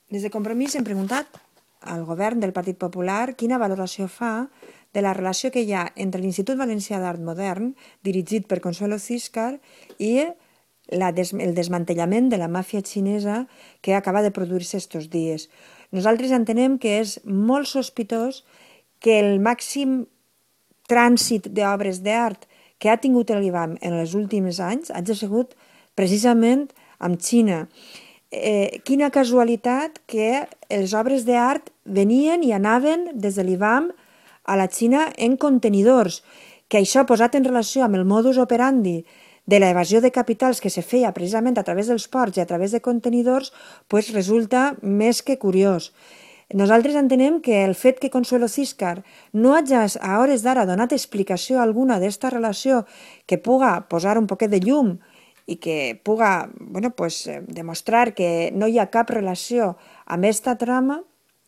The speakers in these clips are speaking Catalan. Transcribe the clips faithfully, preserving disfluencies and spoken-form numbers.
Des de Compromís hem preguntat al govern del Partit Popular quina valoració fa de la relació que hi ha entre l'Institut Valencià d'Art Modern, dirigit per Consuelo Císcar, i la des el desmantellament de la màfia xinesa que acaba de produir-se estos dies. Nosaltres entenem que és molt sospitós que el màxim trànsit d'obres d'art que ha tingut el IVAM en els últims anys hagi sigut precisament amb Xina. Eh, quina casualitat que les obres d'art venien i anaven des de l'IVAM a la Xina en contenidors, que això posat en relació amb el modus operandi de l'evasió de capitals que se feia precisament a través dels ports i a través de contenidors, pues resulta més que curiós. Nosaltres entenem que el fet que Consuelo Císcar no hagi a hores d'ara donat explicació alguna d'esta relació que puga posar un poquet de llum i que puga bueno, pues, demostrar que no hi ha cap relació amb aquesta trama,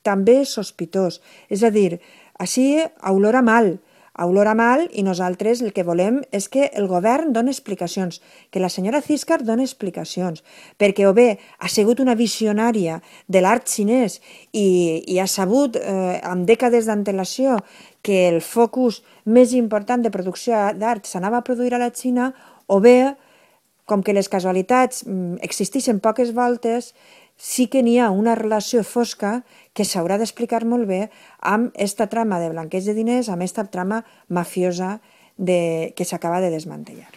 també és sospitós. És a dir, així olora mal, olora mal i nosaltres el que volem és que el govern doni explicacions, que la senyora Císcar doni explicacions, perquè o bé ha sigut una visionària de l'art xinès i, i ha sabut eh, amb dècades d'antelació que el focus més important de producció d'art s'anava a produir a la Xina, o bé, com que les casualitats existeixen poques voltes, sí que n'hi ha una relació fosca que s'haurà d'explicar molt bé amb aquesta trama de blanqueig de diners, amb aquesta trama mafiosa de, que s'acaba de desmantellar.